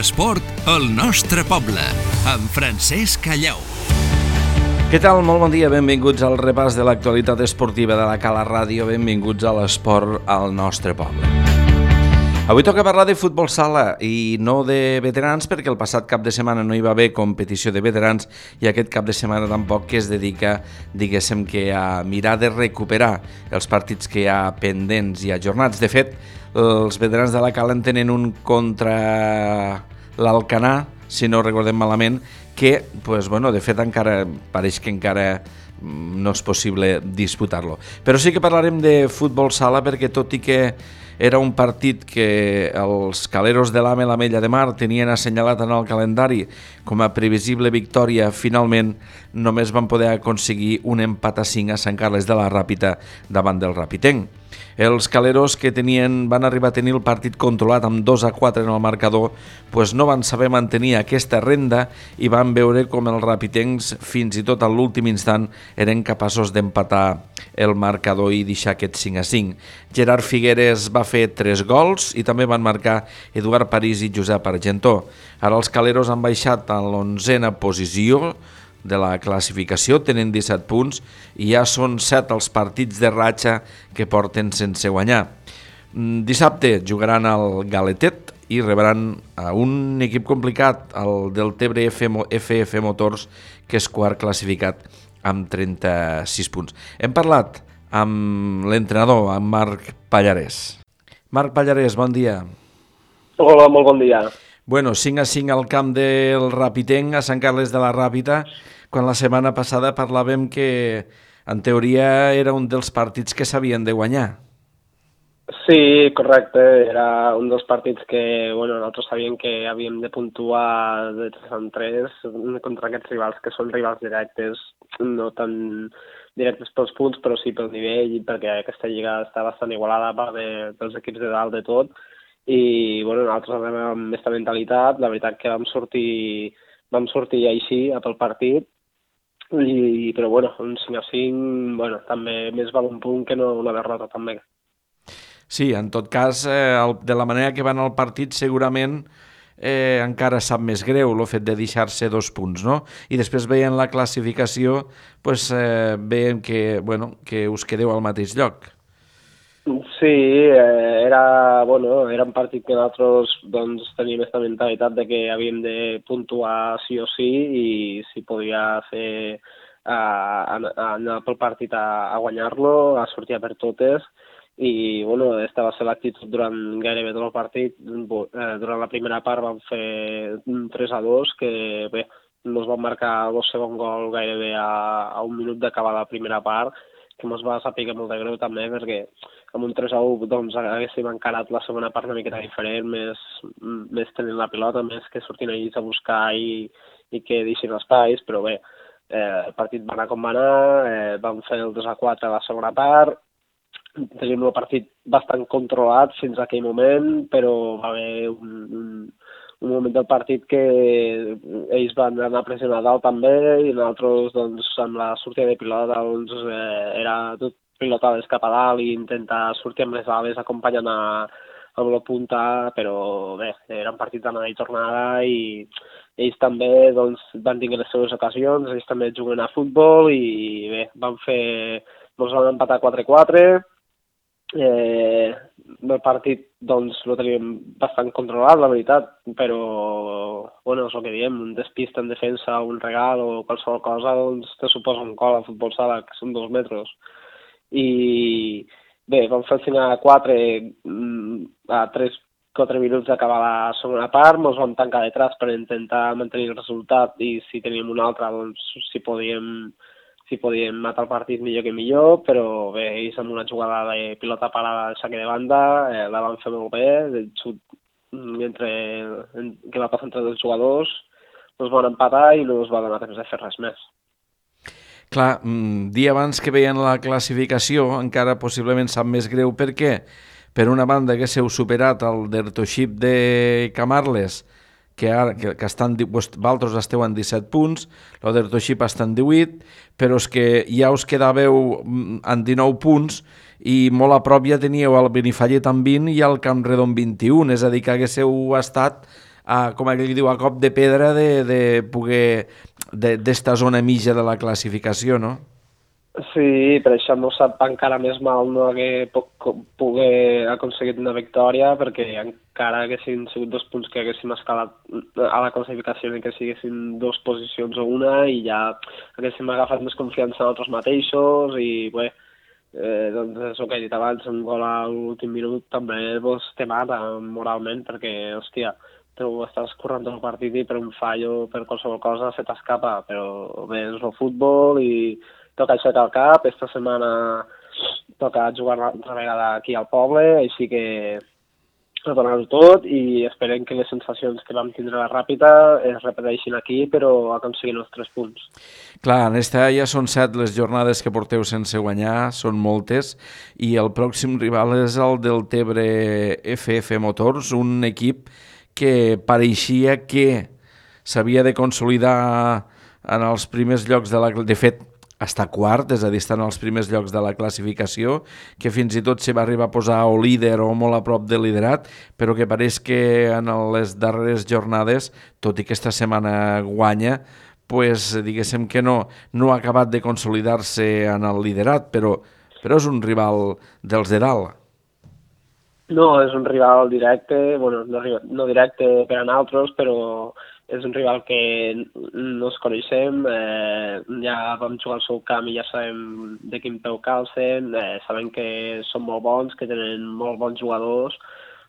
L'esport al nostre poble, amb Francesc Callau. Què tal? Molt bon dia, benvinguts al repàs de l'actualitat esportiva de la Cala Ràdio, benvinguts a l'esport al nostre poble. Avui toca parlar de futbol sala i no de veterans, perquè el passat cap de setmana no hi va haver competició de veterans i aquest cap de setmana tampoc, que es dedica, diguéssim, que a mirar de recuperar els partits que hi ha pendents i ajornats. De fet, els veterans de la Cala en tenen un contra l'Alcanar, si no recordem malament, que, de fet, encara pareix que encara no és possible disputar-lo. Però sí que parlarem de futbol sala, perquè tot i que era un partit que els caleros de l'Amella de Mar tenien assenyalat en el calendari com a previsible victòria, finalment només van poder aconseguir un empat a 5 a Sant Carles de la Ràpita davant del Ràpitenc. Els caleros, que van arribar a tenir el partit controlat amb 2-4 en el marcador, no van saber mantenir aquesta renda i van veure com els ràpitencs fins i tot a l'últim instant eren capaços d'empatar el marcador i deixar aquest 5-5. Gerard Figueres va fer 3 gols i també van marcar Eduard París i Josep Argentó. Ara els caleros han baixat a l'11a posició de la classificació, tenen 17 punts i ja són 7 els partits de ratxa que porten sense guanyar. Dissabte jugaran al Galetet i rebran a un equip complicat, el del Tebre FF Motors, que és quart classificat amb 36 punts. Hem parlat amb l'entrenador, amb Marc Pallarès. Marc Pallarès, bon dia. Hola, molt bon dia. 5-5 al camp del Ràpitenc, a Sant Carles de la Ràpita, quan la setmana passada parlàvem que, en teoria, era un dels partits que s'havien de guanyar. Sí, correcte. Era un dels partits que nosaltres sabíem que havíem de puntuar de 3 en 3 contra aquests rivals, que són rivals directes, no tan directes pels punts, però sí pel nivell, perquè aquesta lliga està bastant igualada pels equips de dalt de tot. I nosaltres anem amb aquesta mentalitat. La veritat que vam sortir així pel partit, però un 5-5 també més val un punt que no una derrota també. Sí, en tot cas, de la manera que van al partit segurament encara sap més greu el fet de deixar-se 2 punts, no? I després veient la classificació veiem que us quedeu al mateix lloc. Sí, era un partit que nosaltres teníem aquesta mentalitat de que havíem de puntuar sí o sí, i si podia fer anar pel partit a guanyar-lo, a sortir per totes. I aquesta va ser l'actitud durant gairebé tot el partit. Durant la primera part vam fer 3-2, que bé, ens van marcar el segon gol gairebé a un minut d'acabar la primera part, que ens va saber molt de greu també, perquè amb un 3-1 haguéssim encarat la segona part una miqueta diferent, més tenint la pilota, més que sortint ells a buscar i que deixin espais, però bé, el partit va anar com va anar, vam fer el 2-4 a la segona part, teníem el partit bastant controlat fins a aquell moment, però va haver un moment del partit que ells van anar pressionant dalt també, i nosaltres amb la sortida de pilota era tot pilotades cap a dalt i intentar sortir amb les ales acompanyant amb la punta, però bé, era un partit d'anada i tornada i ells també van tenir les seves ocasions, ells també juguen a futbol i bé, ens van empatar 4-4. El partit el teníem bastant controlat, la veritat, però és el que diem, un despist en defensa, un regal o qualsevol cosa te suposa un gol a futbol sala, que són 2 metres. I bé, vam fer el 5-4 a 3-4 minuts d'acabar la segona part, ens vam tancar detrás per intentar mantenir el resultat, i si teníem un altre, si podíem matar el partit millor que millor, però bé, ells amb una jugada de pilota parada de saque de banda la van fer molt bé, el xut que va passar entre 2 jugadors, ens van empatar i no ens va donar temps de fer res més. Clar, dia abans que veien la classificació encara possiblement sap més greu, perquè per una banda haguéssiu superat el Dertoship de Camarles, que estan, vosaltres esteu en 17 punts, el Dertoship està en 18, però és que ja us quedàveu en 19 punts i molt a prop ja teníeu el Benifallet amb 20 i el Campredon 21, és a dir, que haguéssiu estat com aquell diu, a cop de pedra de poder d'esta zona mitja de la classificació, no? Sí, per això no sap encara més mal no poder aconseguit una victòria, perquè encara haguessin sigut 2 punts que haguéssim escalat a la classificació i que siguessin 2 posicions o una, i ja haguéssim agafat més confiança en nosaltres mateixos, i bé, doncs és el que he dit abans, un gol a l'últim minut també te mata moralment, perquè, hòstia, tu estàs corrent el partit i per un fallo, per qualsevol cosa, se t'escapa, però bé, és el futbol i toca aixecar el cap. Esta setmana toca jugar una altra vegada aquí al poble, així que a donar-ho tot, i esperem que les sensacions que vam tindre a la Ràpita es repeteixin aquí, però aconseguint els 3 punts. Clar, en esta ja són 7 les jornades que porteu sense guanyar, són moltes, i el pròxim rival és el del Tebre FF Motors, un equip que pareixia que s'havia de consolidar en els primers llocs de fet, està quart, és a dir, està en els primers llocs de la classificació, que fins i tot se va arribar a posar o líder o molt a prop del liderat, però que pareix que en les darreres jornades, tot i que esta setmana guanya, pues, diguéssim que no ha acabat de consolidar-se en el liderat, però és un rival dels de dalt. No, és un rival directe, bueno, no directe per a nosaltres, però és un rival que no ens coneixem, ja vam jugar al seu camp i ja sabem de quin peu calcen, sabem que són molt bons, que tenen molt bons jugadors.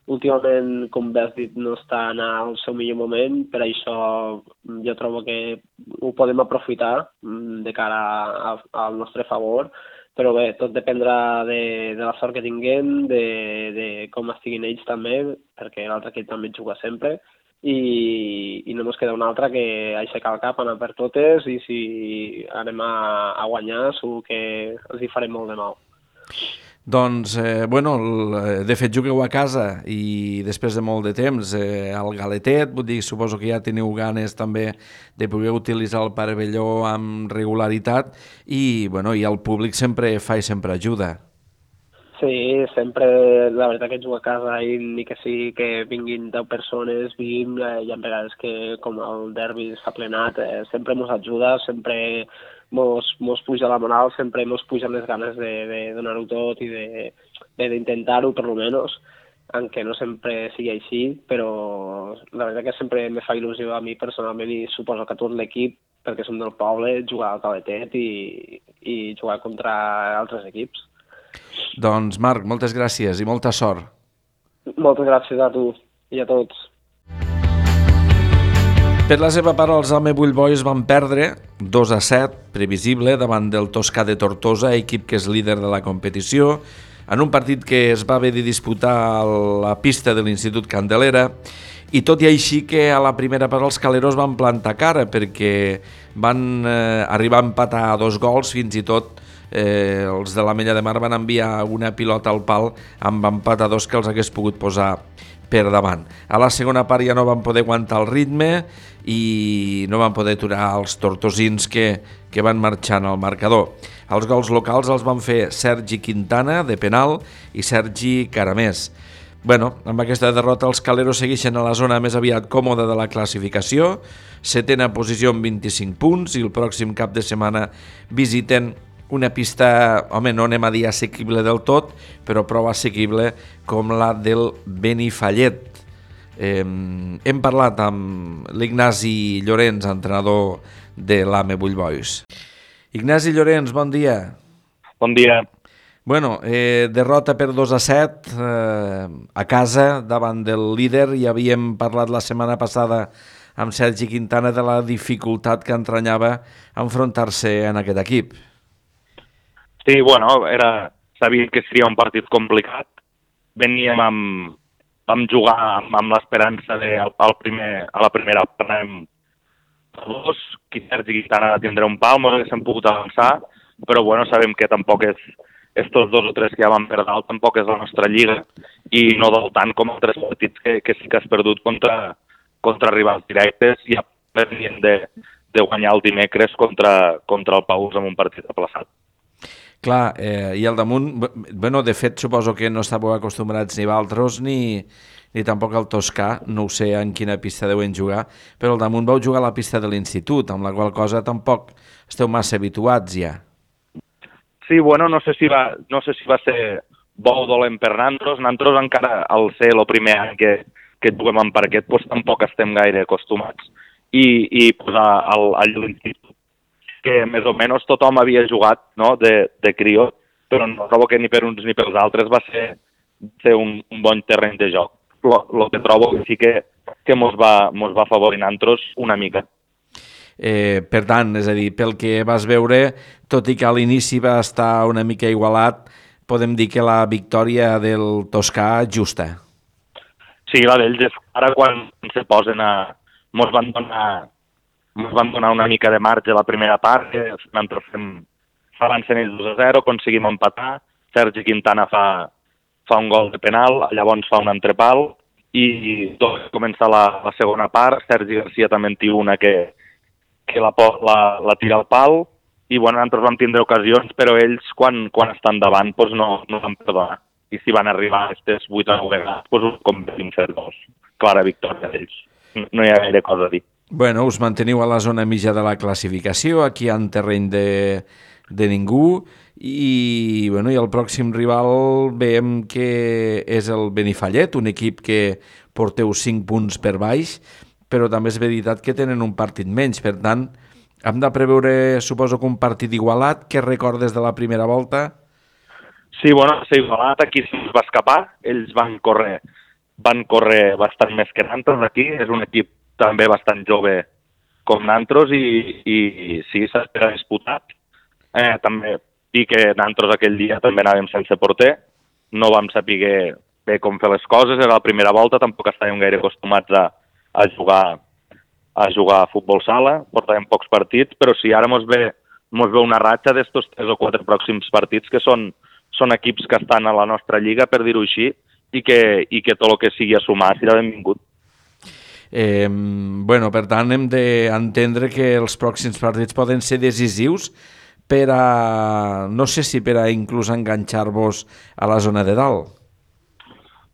Últimament, com bé has dit, no estan al seu millor moment, per això jo trobo que ho podem aprofitar de cara al nostre favor, però bé, tot dependrà de la sort que tinguem, de com estiguin ells també, perquè l'altre equip també juga sempre, i no ens queda una altra que aixecar el cap, anar per totes, i si anem a guanyar segur que els hi farem molt de mal. Doncs, bueno, de fet jugueu a casa i després de molt de temps al Galetet, vull dir, suposo que ja teniu ganes també de poder utilitzar el pavelló amb regularitat i, bueno, i el públic sempre fa i sempre ajuda. Sí, sempre, la veritat que jugar a casa i ni que sigui que vinguin 10 persones, 20, hi ha vegades que com el derbi s'ha plenat, sempre ens ajuda, sempre mos puja la moral, sempre mos pugen les ganes de donar-ho tot i d'intentar-ho, per lo menos, aunque no sempre sigui així, però la veritat que sempre me fa il·lusió a mi personalment i suposo que a tot l'equip, perquè som del poble, jugar al Caletet i jugar contra altres equips. Doncs Marc, moltes gràcies i molta sort. Moltes gràcies a tu i a tots. Per la seva part, els Ame Bull Boys van perdre 2-7, previsible, davant del Toscà de Tortosa, equip que és líder de la competició, en un partit que es va haver de disputar a la pista de l'Institut Candelera, i tot i així que a la primera part els caleros van plantar cara, perquè van arribar a empatar a 2 gols, fins i tot els de l'Ametlla de Mar van enviar una pilota al pal amb empat a 2 que els hagués pogut posar per davant. A la segona part ja no van poder aguantar el ritme i no van poder aturar els tortosins que van marxant al marcador. Els gols locals els van fer Sergi Quintana, de penal, i Sergi Caramés. Bueno, amb aquesta derrota els caleros segueixen a la zona més aviat còmoda de la classificació, 7ª posició amb 25 punts, i el pròxim cap de setmana visiten una pista, home, no anem a dir assequible del tot, però prou assequible com la del Benifallet. Hem parlat amb l'Ignasi Llorenç, entrenador de l'Ame Bull Boys. Ignasi Llorenç, bon dia. Bon dia. Bueno, derrota per 2-7 a casa davant del líder. Ja havíem parlat la setmana passada amb Sergi Quintana de la dificultat que entranyava enfrontar-se en aquest equip. Sí, bueno, sabia que seria un partit complicat. Vam jugar amb l'esperança de a la primera part anem a 2, que Sergi Quintana tindrà un pal, ens haguéssim pogut avançar, però bueno, sabem que tampoc és estos 2 o 3 que ja van per dalt, tampoc és la nostra lliga, i no del tant com altres partits que sí que has perdut contra rivals directes, i ja venien de guanyar el dimecres contra el Paús amb un partit aplaçat. Clar, i al damunt, bueno, de fet suposo que no estàveu acostumbrats ni Valtros ni tampoc al Toscà, no ho sé en quina pista deuen jugar, però al damunt vau jugar a la pista de l'institut, amb la qual cosa tampoc esteu massa habituats ja. Sí, bueno, no sé si va ser bo o dolent per Nantros. Nantros encara, al ser el primer any que juguem en parquet, doncs tampoc estem gaire acostumats. I pues, a l'institut, que més o menys tothom havia jugat, no?, de crió, però no trobo que ni per uns ni pels altres va ser un bon terreny de joc. Lo que trobo que sí que mos va afavorir Nantros una mica. Per tant, és a dir, pel que vas veure, tot i que a l'inici va estar una mica igualat, podem dir que la victòria del Toscà justa. Sí, la d'ells és ara quan se posen mos van donar una mica de marge a la primera part, que nosaltres s'avancen ells 2-0, aconseguim empatar, Sergi Quintana fa un gol de penal, llavors fa un entrepal, i tot comença la segona part, Sergi Garcia també en té una que la tira al pal, i bueno, nosaltres vam tindre ocasions, però ells quan estan davant doncs no van perdonar. I si van arribar a aquestes 8 o 9 vegades, doncs ho convertim ser 2. Clara victòria d'ells. No hi ha gaire cosa a dir. Bueno, us manteniu a la zona mitja de la classificació, aquí en terreny de ningú, i el pròxim rival veiem que és el Benifallet, un equip que porteu 5 punts per baix, però també és veritat que tenen un partit menys, per tant, hem de preveure, suposo que un partit igualat. Què recordes de la primera volta? Sí, bueno, s'ha igualat, aquí se'ns va escapar, ells van córrer bastant més que Nantros aquí, és un equip també bastant jove com Nantros i sí, s'espera disputat. També dir que Nantros aquell dia també anàvem sense porter, no vam saber bé com fer les coses, era la primera volta, tampoc estàvem gaire acostumats a jugar a futbol sala, portàvem pocs partits, però sí, ara mos ve una ratxa d'estos 3 o 4 pròxims partits que són equips que estan a la nostra lliga, per dir-ho així, i que tot el que sigui a sumar serà benvingut. Per tant, hem d'entendre que els pròxims partits poden ser decisius per a, no sé si per a inclús enganxar-vos a la zona de dalt.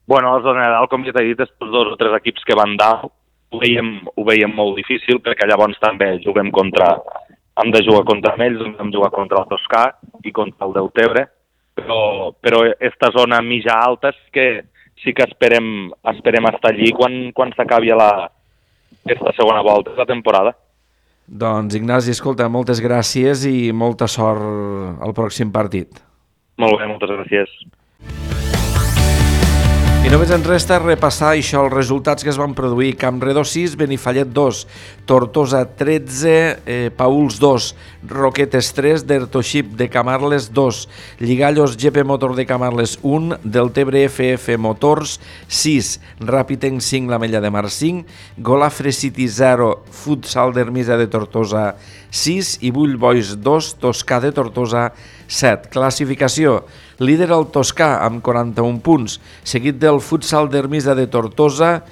Bueno, a la zona de dalt, com ja t'he dit, els 2 o 3 equips que van dalt ho veiem molt difícil, perquè llavors també hem de jugar contra ells, hem de jugar contra el Toscà i contra el Deltebre, però esta zona mitja alta sí que esperem estar allí quan s'acabi aquesta segona volta de la temporada. Doncs Ignasi, escolta, moltes gràcies i molta sort al pròxim partit. Molt bé, moltes gràcies. I només ens resta repassar això, els resultats que es van produir. Campredó 6, Benifallet 2, Tortosa 13, Pauls 2, Roquetes 3, Dertoship de Camarles 2, Lligallos GP Motor de Camarles 1, Deltebre FF Motors 6, Ràpitenc 5, l'Ametlla de Mar 5, Golafre City 0, Futsal d'Ermisa de Tortosa 6 i Bull Boys 2, Toscà de Tortosa 7. Classificació: líder el Toscà amb 41 punts, seguit del Futsal d'Ermisa de Tortosa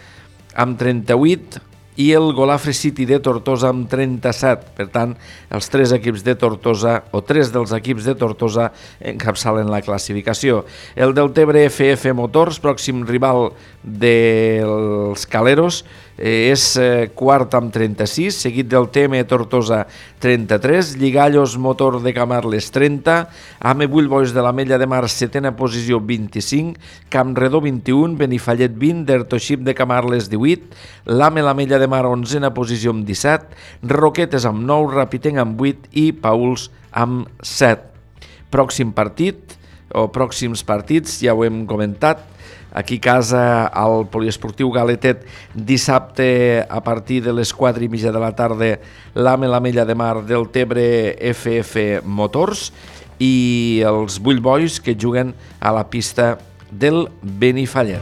amb 38 i el Golafre City de Tortosa amb 37. Per tant, els 3 equips de Tortosa, o 3 dels equips de Tortosa, encapçalen la classificació. El Deltebre FF Motors, pròxim rival dels Caleros, és quart amb 36, seguit del TM Tortosa 33, Lligallos Motor de Camarles 30, AME Bull Boys de l'Ametlla de Mar 7a posició 25, Campredó 21, Benifallet 20, Dertoship de Camarles 18, l'AME l'Ametlla de Mar 11a posició amb 17, Roquetes amb 9, Ràpitenc amb 8 i Pauls amb 7. Pròxim partit, o pròxims partits, ja ho hem comentat, aquí a casa al Poliesportiu Galetet, dissabte a partir de les 4:30 de la tarda, l'AME l'Ametlla de Mar del Tebre FF Motors i els Bull Boys que juguen a la pista del Benifallet.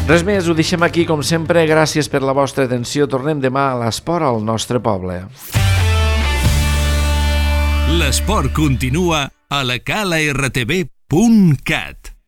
Res més, ho deixem aquí com sempre, gràcies per la vostra atenció, tornem demà a l'esport al nostre poble. L'esport continua a la calartv.cat.